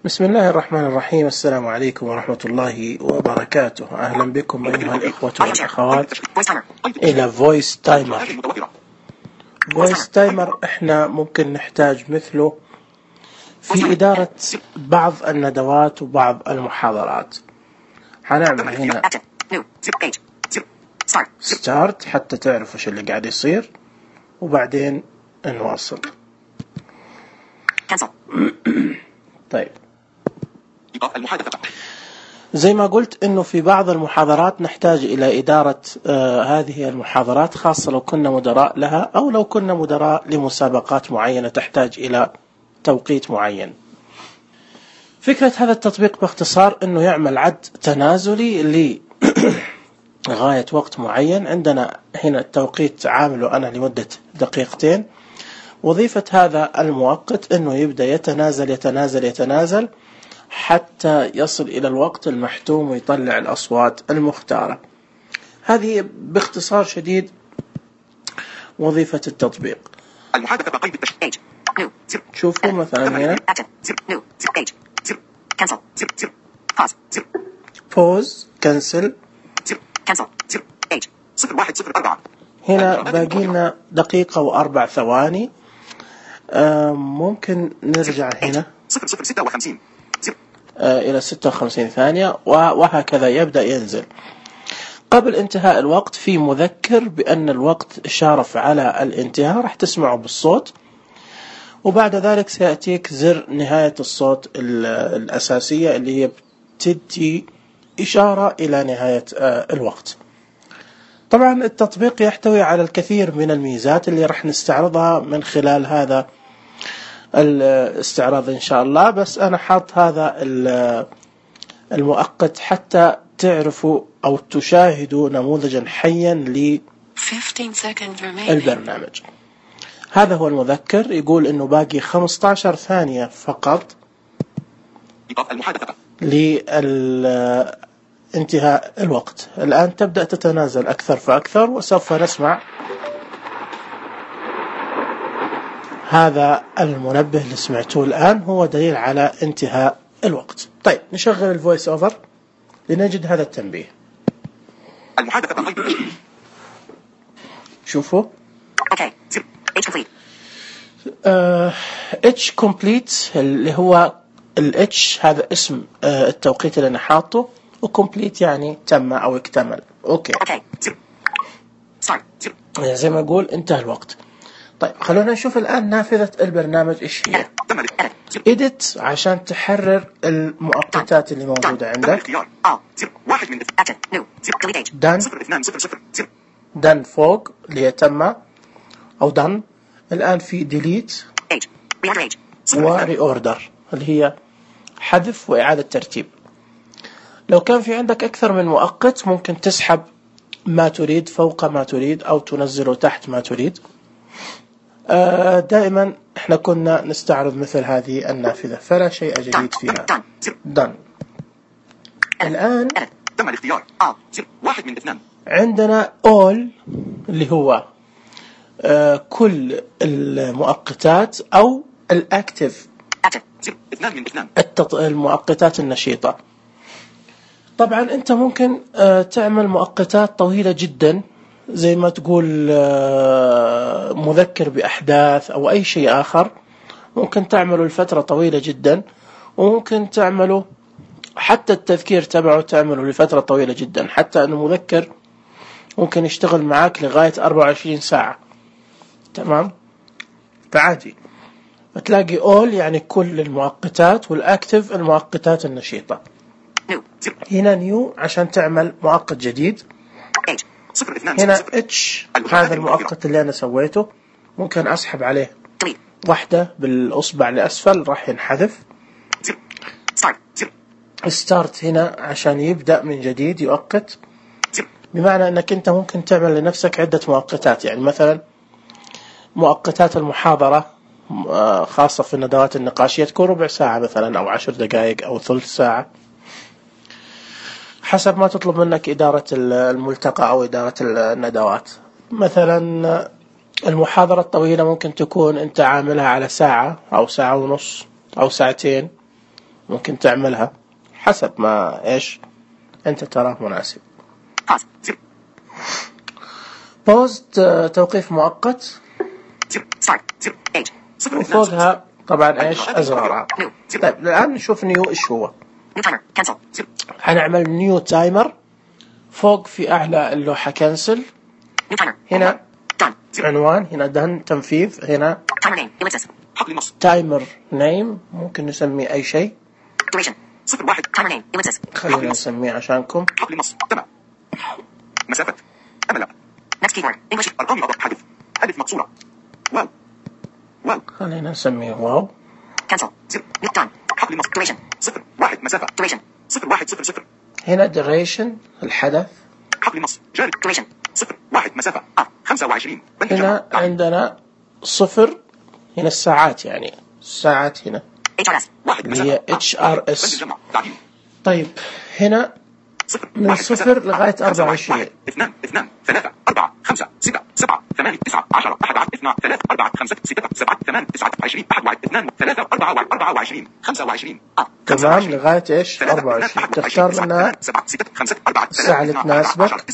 بسم الله الرحمن الرحيم. السلام عليكم ورحمة الله وبركاته. أهلا بكم أيها الإخوة والأخوات إلى فويس تايمر. فويس تايمر إحنا ممكن نحتاج مثله في إدارة بعض الندوات وبعض المحاضرات. هنعمل هنا ستارت حتى تعرفوا شو اللي قاعد يصير وبعدين نواصل. طيب، زي ما قلت إنه في بعض المحاضرات نحتاج إلى إدارة هذه المحاضرات، خاصة لو كنا مدراء لها أو لو كنا مدراء لمسابقات معينة تحتاج إلى توقيت معين. فكرة هذا التطبيق باختصار إنه يعمل عد تنازلي لغاية وقت معين. عندنا هنا التوقيت عامله أنا لمدة دقيقتين. وظيفة هذا المؤقت إنه يبدأ يتنازل حتى يصل إلى الوقت المحتوم ويطلع الأصوات المختارة. هذه باختصار شديد وظيفة التطبيق. شوفوا مثلا هنا pause cancel. هنا باقي لنا دقيقة وأربع ثواني. ممكن نرجع هنا إلى 56 ثانية وهكذا يبدأ ينزل. قبل انتهاء الوقت في مذكر بأن الوقت شارف على الانتهاء، راح تسمعه بالصوت، وبعد ذلك سيأتيك زر نهاية الصوت الأساسية اللي هي بتدي إشارة إلى نهاية الوقت. طبعا التطبيق يحتوي على الكثير من الميزات اللي راح نستعرضها من خلال هذا الاستعراض إن شاء الله، بس أنا حاط هذا المؤقت حتى تعرفوا أو تشاهدوا نموذجا حيا للبرنامج. هذا هو المذكر، يقول إنه باقي 15 ثانية فقط لانتهاء الوقت. الآن تبدأ تتنازل أكثر فأكثر، وسوف نسمع هذا المنبه اللي سمعتوه الآن هو دليل على انتهاء الوقت. طيب، نشغل الفويس أوفر لنجد هذا التنبيه. شوفوا H complete اللي هو H هذا اسم التوقيت اللي أنا حاطه، وcomplete يعني تم أو اكتمل. أوكي، يعني زي ما أقول انتهى الوقت. طيب، خلونا نشوف الآن نافذة البرنامج إيش هي. edit عشان تحرر المؤقتات اللي موجودة عندك. done فوق اللي هي تم أو done. الآن في delete و reorder اللي هي حذف وإعادة ترتيب. لو كان في عندك أكثر من مؤقت ممكن تسحب ما تريد فوق ما تريد أو تنزله تحت ما تريد. دائما احنا كنا نستعرض مثل هذه النافذة، فلا شيء جديد فيها. done. الآن عندنا all اللي هو كل المؤقتات أو الأكتف، المؤقتات النشيطة. طبعا أنت ممكن تعمل مؤقتات طويلة جدا، زي ما تقول مذكر بأحداث أو أي شيء آخر، ممكن تعمله لفترة طويلة جدا، وممكن تعمله حتى التذكير تبعه تعمله لفترة طويلة جدا، حتى أنه مذكر ممكن يشتغل معاك لغاية 24 ساعة. تمام، فعادي. فتلاقي all يعني كل المؤقتات، والأكتف المؤقتات النشيطة. هنا new عشان تعمل مؤقت جديد. هنا H هذا المؤقت اللي أنا سويته، ممكن أسحب عليه واحدة بالأصبع لأسفل راح ينحذف. start هنا عشان يبدأ من جديد يؤقت، بمعنى أنك أنت ممكن تعمل لنفسك عدة مؤقتات. يعني مثلا مؤقتات المحاضرة خاصة في الندوات النقاشية تكون ربع ساعة مثلا أو 10 دقائق أو ثلث ساعة، حسب ما تطلب منك إدارة الملتقى أو إدارة الندوات. مثلا المحاضرة الطويلة ممكن تكون أنت عاملها على ساعة أو ساعة ونص أو ساعتين، ممكن تعملها حسب ما إيش أنت تراه مناسب. pause توقيف مؤقت، وفوقها طبعا إيش أزرارها. طيب الآن نشوف نيو إيش هو. هنعمل نيو تايمر. فوق في أعلى اللوحة كنسل، هنا عنوان، هنا دن تنفيذ، هنا تايمر نيم ممكن نسميه أي شيء. خلينا نسميه عشانكم. مسافة أمل أرقام حدث ألف مقصورة واو خلينا نسميه واو. صفر واحد مسافة صفر واحد صفر صفر. هنا duration الحدث. حقل نص جاري صفر واحد مسافة 25. هنا عندنا صفر، هنا الساعات، يعني الساعات هنا اللي هي HRS. طيب هنا من صفر لغاية 24. 2 2 3 4 5 6 7 8 9 10 11 12 3 4 5 6 7 8 9 20 1 2 3 4 24 25. تمام لغاية إيش 24. تختار منها الساعة اللي تناسبك،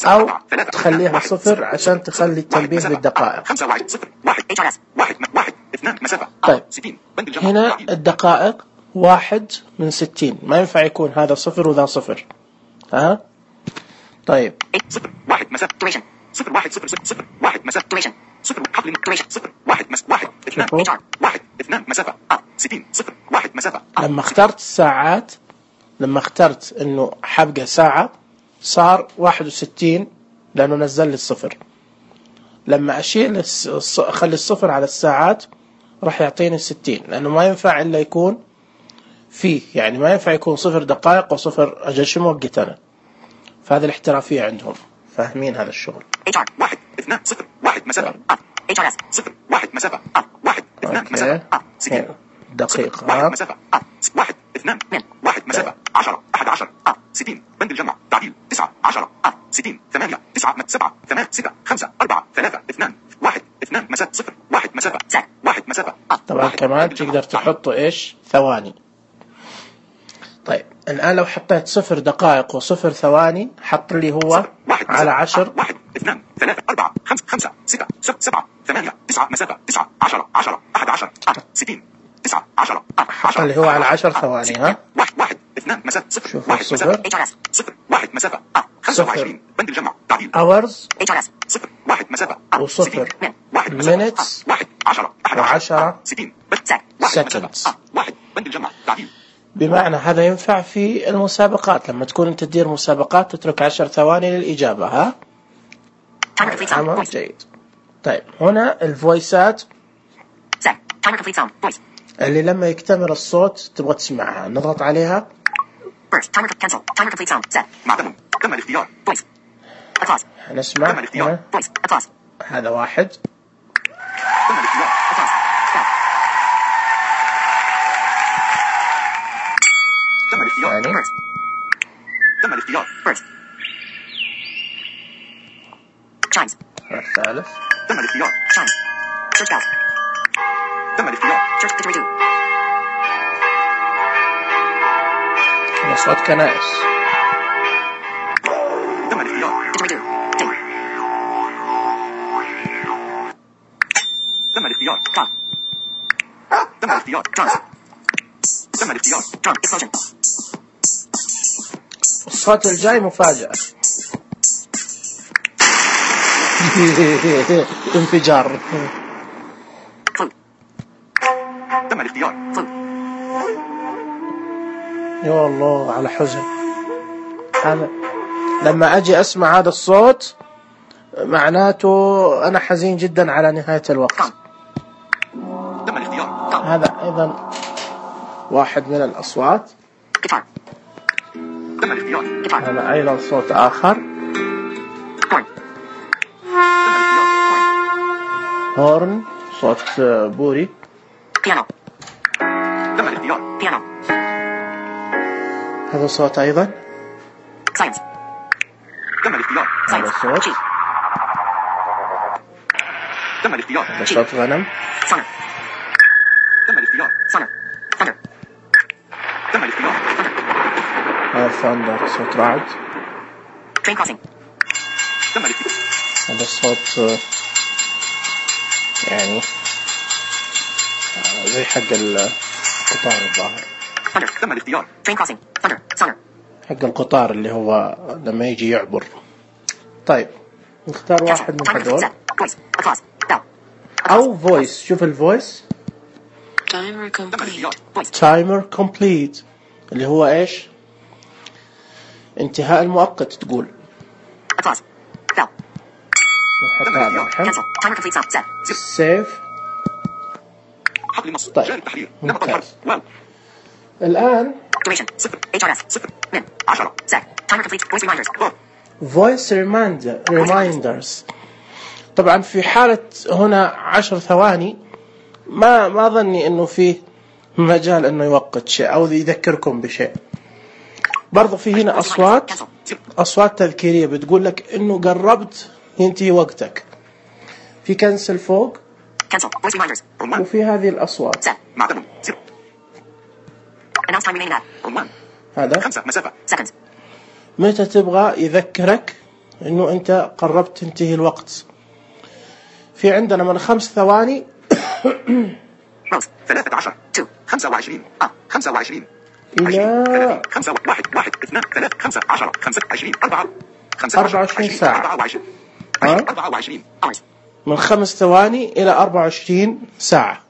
أو تخليها صفر عشان تخلي التنبيه بالدقائق. طيب هنا الدقائق 1 من 60، ما ينفع يكون هذا صفر وذا صفر. ها طيب صفر واحد مسافة صفر واحد صفر صفر واحد مسافة صفر حقل صفر واحد واحد اثنان واحد اثنان مسافة 60 صفر واحد مسافة. لما اخترت الساعات، لما اخترت انه حبقى ساعة صار 61 لانه نزل لي الصفر. لما اشيل اخلي الصفر على الساعات راح يعطيني 60، لانه ما ينفع الا يكون فيه، يعني ما ينفع يكون صفر دقائق وصفر أجل شو موقت أنا. فهذه الاحترافية عندهم، فاهمين هذا الشغل. واحد اثنان صفر واحد مسافة صفر واحد مسافة واحد اثنان مسافة 60 دقيقة واحد مسافة واحد اثنان واحد مسافة 10 11 60 بند الجمع تعديل 9 10 60 8 9 7 8 6 5 4 3 2 1 2 مسافة صفر واحد مسافة واحد مسافة. طبعا كمان تقدر تحطوا إيش ثواني. طيب الآن لو حطيت صفر دقائق وصفر ثواني حط لي هو على 10 1 2 3 4 5 6 7 8 9 مسافة 9 10 10 11 60 9 10 حط اللي هو على 10 ثواني. ها 1 2 مسافة صفر 1 مسافة صفر 1 مسافة 25 بند الجمع تعديل hours صفر 1 مسافة وصفر 1 minutes 1 10 و10 60 seconds. 1 بند الجمع تعديل. بمعنى هذا ينفع في المسابقات، لما تكون أنت تدير مسابقات تترك 10 ثواني للإجابة. ها عمل جيد. طيب هنا الفويسات اللي لما يكتمل الصوت تبغى تسمعها نضغط عليها. تم الاختيار. نسمع هذا واحد. تم الاختيار. تم الاختيار. تم الاختيار. الثالث. تم الاختيار. تم الاختيار. صوت كنائس. تم الاختيار. تم الاختيار. تم الاختيار. تم الاختيار. الصوت الجاي مفاجأة. انفجار. تم الاختيار. يا الله على حزن. هذا لما أجي أسمع هذا الصوت معناته أنا حزين جدا على نهاية الوقت. تم الاختيار. هذا أيضا واحد من الأصوات. تم الاختيار. هذا أيضا صوت آخر. هورن صوت بوري. تم الاختيار. هذا صوت أيضا. تم الاختيار. هذا صوت. تم الاختيار. هذا صوت غنم. تم الاختيار. تم الاختيار. ثاندر صوت رعد. Train crossing. تم الاختيار. هذا الصوت يعني زي حق القطار الظاهر. Thunder. تم الاختيار. Train crossing. Thunder. Sonar. حق القطار اللي هو لما يجي يعبر. طيب نختار واحد من هذول أو voice. شوف الفويس. timer complete اللي هو إيش؟ انتهاء المؤقت تقول. نحط هذا الحين. save. طيب ممتاز. الآن voice reminders. طبعا في حالة هنا 10 ثواني ما ظني انه فيه مجال انه يوقت شيء او يذكركم بشيء. برضو في هنا اصوات تذكيرية بتقول لك انه قربت ينتهي وقتك. في كنسل فوق وفي هذه الاصوات. هذا 5 مسافة. متى تبغى يذكرك انه انت قربت تنتهي الوقت. في عندنا من 5 ثواني 13 25 25 إلى 5 1 1 2 3 5 10 5 20 4 24 ساعة. 24 من 5 ثواني إلى 24 ساعة.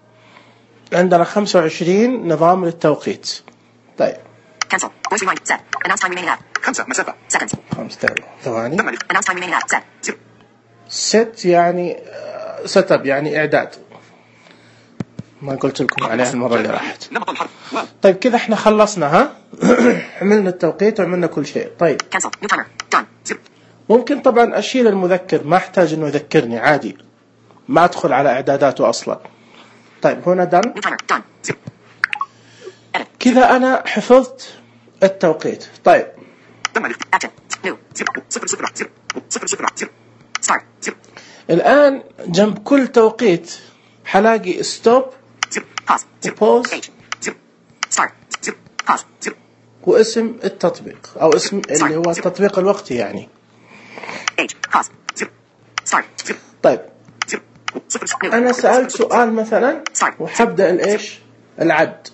عندنا 25 نظام للتوقيت. طيب 5 مسافة. 5 ثواني. ست يعني ست اب يعني إعداد. ما قلت لكم عليها المرة اللي راحت. طيب كذا احنا خلصنا ها. عملنا التوقيت وعملنا كل شيء. طيب ممكن طبعا أشيل المذكر ما احتاج انه يذكرني عادي. ما ادخل على اعداداته اصلا. طيب هنا دن. كذا انا حفظت التوقيت. طيب الآن جنب كل توقيت حلاقي ستوب وبوز واسم التطبيق أو اسم اللي هو التطبيق الوقتي يعني. طيب أنا سألت سؤال مثلا وحبدأ الإيش العد.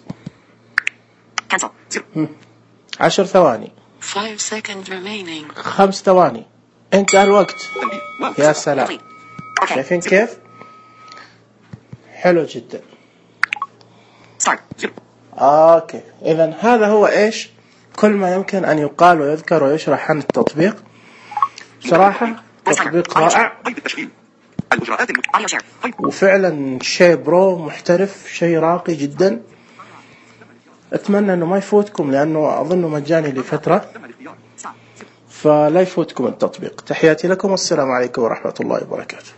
10 ثواني. 5 ثواني. انتهى الوقت. يا سلام. شايفين كيف؟ حلو جدا. اوكي اذا هذا هو ايش كل ما يمكن ان يقال ويذكر ويشرح عن التطبيق. صراحة تطبيق رائع وفعلا شيء برو محترف شيء راقي جدا. اتمنى انه ما يفوتكم لانه اظنه مجاني لفترة فلا يفوتكم التطبيق. تحياتي لكم والسلام عليكم ورحمة الله وبركاته.